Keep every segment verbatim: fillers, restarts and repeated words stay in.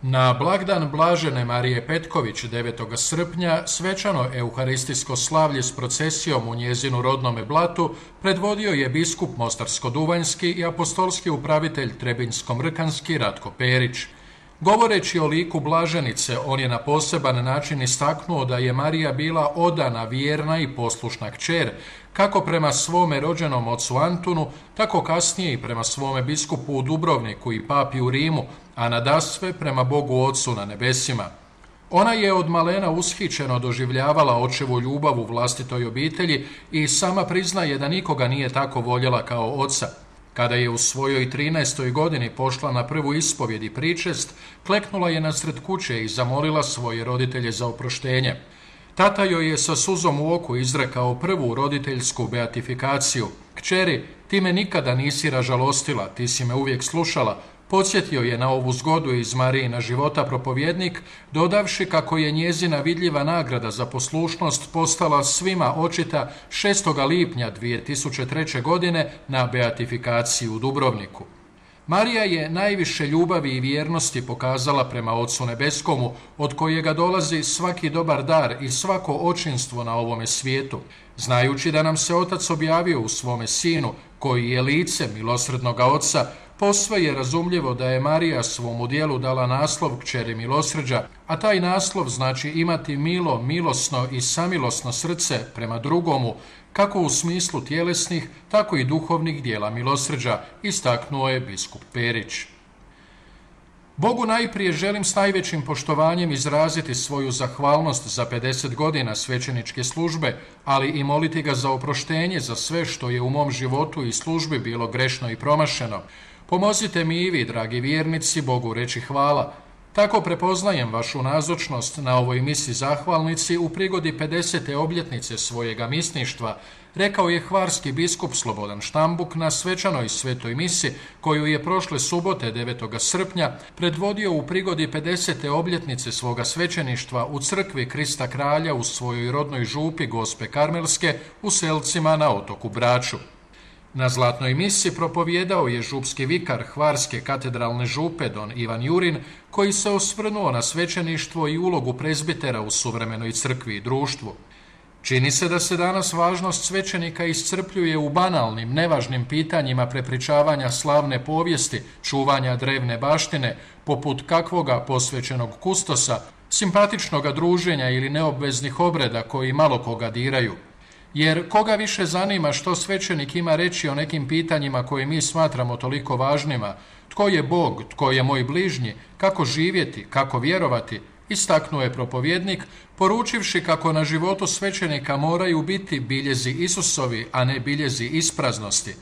Na blagdan Blažene Marije Petković devetog srpnja svečano euharistijsko slavlje s procesijom u njezinu rodnome Blatu predvodio je biskup Mostarsko-duvanjski i apostolski upravitelj Trebinjsko-mrkanski Ratko Perić. Govoreći o liku Blaženice, on je na poseban način istaknuo da je Marija bila odana, vjerna i poslušna kćer, kako prema svome rođenom ocu Antunu, tako kasnije i prema svome biskupu u Dubrovniku i papi u Rimu, a nadasve prema Bogu Ocu na nebesima. Ona je od malena ushićeno doživljavala očevu ljubav u vlastitoj obitelji i sama priznaje da nikoga nije tako voljela kao oca. Kada je u svojoj trinaestoj godini pošla na prvu ispovjed i pričest, kleknula je nasred kuće i zamolila svoje roditelje za oproštenje. Tata joj je sa suzom u oku izrekao prvu roditeljsku beatifikaciju. Kćeri, ti me nikada nisi ražalostila, ti si me uvijek slušala. Podsjetio je na ovu zgodu iz Marijina života propovjednik, dodavši kako je njezina vidljiva nagrada za poslušnost postala svima očita šestog lipnja dvije tisuće treće. godine na beatifikaciji u Dubrovniku. Marija je najviše ljubavi i vjernosti pokazala prema Ocu Nebeskomu, od kojega dolazi svaki dobar dar i svako očinstvo na ovome svijetu. Znajući da nam se Otac objavio u svome Sinu, koji je lice milosrdnoga Oca, posve je razumljivo da je Marija svomu dijelu dala naslov kćeri milosrđa, a taj naslov znači imati milo, milosno i samilosno srce prema drugomu, kako u smislu tjelesnih, tako i duhovnih dijela milosrđa, istaknuo je biskup Perić. Bogu najprije želim s najvećim poštovanjem izraziti svoju zahvalnost za pedeset godina svećeničke službe, ali i moliti ga za oproštenje za sve što je u mom životu i službi bilo grešno i promašeno. Pomozite mi i vi, dragi vjernici, Bogu reći hvala. Tako prepoznajem vašu nazočnost na ovoj misi zahvalnici u prigodi pedesete obljetnice svojega misništva, rekao je hvarski biskup Slobodan Štambuk na svečanoj svetoj misi koju je prošle subote devetog srpnja predvodio u prigodi pedesete obljetnice svoga svećeništva u crkvi Krista Kralja u svojoj rodnoj župi Gospe Karmelske u Selcima na otoku Braču. Na zlatnoj misi propovijedao je župski vikar Hvarske katedralne župe don Ivan Jurin, koji se osvrnuo na svećeništvo i ulogu prezbitera u suvremenoj crkvi i društvu. Čini se da se danas važnost svećenika iscrpljuje u banalnim, nevažnim pitanjima prepričavanja slavne povijesti, čuvanja drevne baštine, poput kakvoga posvećenog kustosa, simpatičnoga druženja ili neobveznih obreda koji malo koga diraju. Jer koga više zanima što svećenik ima reći o nekim pitanjima koje mi smatramo toliko važnima, tko je Bog, tko je moj bližnji, kako živjeti, kako vjerovati, istaknuo je propovjednik, poručivši kako na životu svećenika moraju biti biljezi Isusovi, a ne biljezi ispraznosti.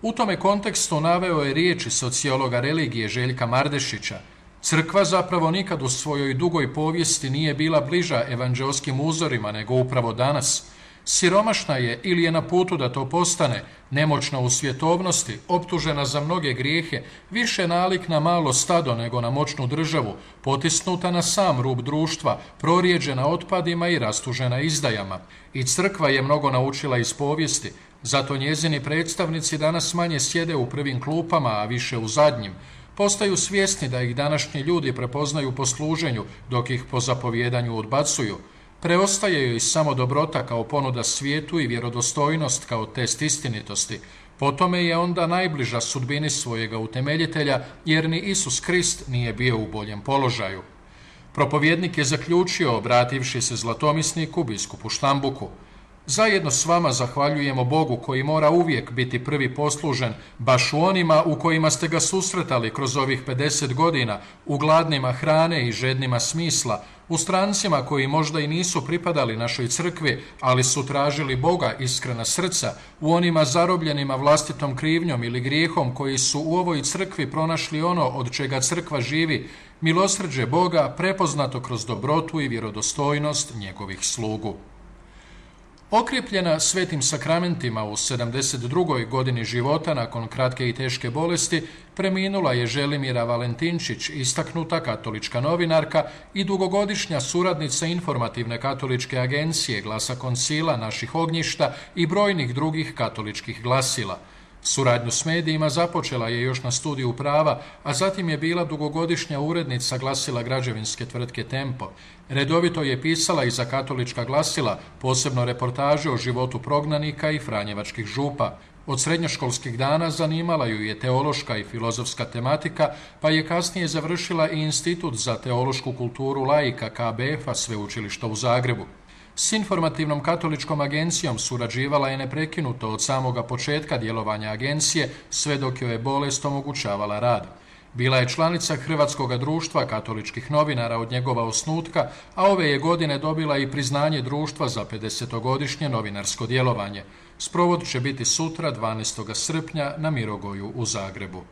U tome kontekstu naveo je riječi sociologa religije Željka Mardešića. Crkva zapravo nikad u svojoj dugoj povijesti nije bila bliža evanđelskim uzorima nego upravo danas. Siromašna je ili je na putu da to postane, nemoćna u svjetovnosti, optužena za mnoge grijehe, više nalik na malo stado nego na moćnu državu, potisnuta na sam rub društva, prorijeđena otpadima i rastužena izdajama. I crkva je mnogo naučila iz povijesti, zato njezini predstavnici danas manje sjede u prvim klupama, a više u zadnjim. Postaju svjesni da ih današnji ljudi prepoznaju po služenju, dok ih po zapovjedanju odbacuju. Preostaje joj samo dobrota kao ponuda svijetu i vjerodostojnost kao test istinitosti. Po tome je onda najbliža sudbini svojega utemeljitelja, jer ni Isus Krist nije bio u boljem položaju. Propovjednik je zaključio, obrativši se zlatomisniku, biskupu Štambuku. Zajedno s vama zahvaljujemo Bogu koji mora uvijek biti prvi poslužen, baš u onima u kojima ste ga susretali kroz ovih pedeset godina, u gladnima hrane i žednima smisla, u strancima koji možda i nisu pripadali našoj crkvi, ali su tražili Boga iskrena srca, u onima zarobljenima vlastitom krivnjom ili grijehom koji su u ovoj crkvi pronašli ono od čega crkva živi, milosrđe Boga prepoznato kroz dobrotu i vjerodostojnost njegovih slugu. Okrjepljena svetim sakramentima u sedamdeset drugoj godini života nakon kratke i teške bolesti, preminula je Želimira Valentinčić, istaknuta katolička novinarka i dugogodišnja suradnica informativne katoličke agencije Glasa koncila naših ognjišta i brojnih drugih katoličkih glasila. Suradnju s medijima započela je još na studiju prava, a zatim je bila dugogodišnja urednica glasila građevinske tvrtke Tempo. Redovito je pisala i za katolička glasila, posebno reportaže o životu prognanika i franjevačkih župa. Od srednjoškolskih dana zanimala ju je teološka i filozofska tematika, pa je kasnije završila i Institut za teološku kulturu laika K B F-a Sveučilišta u Zagrebu. S informativnom katoličkom agencijom surađivala je neprekinuto od samoga početka djelovanja agencije, sve dok joj je bolest omogućavala rad. Bila je članica Hrvatskog društva katoličkih novinara od njegova osnutka, a ove je godine dobila i priznanje društva za pedesetogodišnje novinarsko djelovanje. Sprovod će biti sutra, dvanaestog srpnja, na Mirogoju u Zagrebu.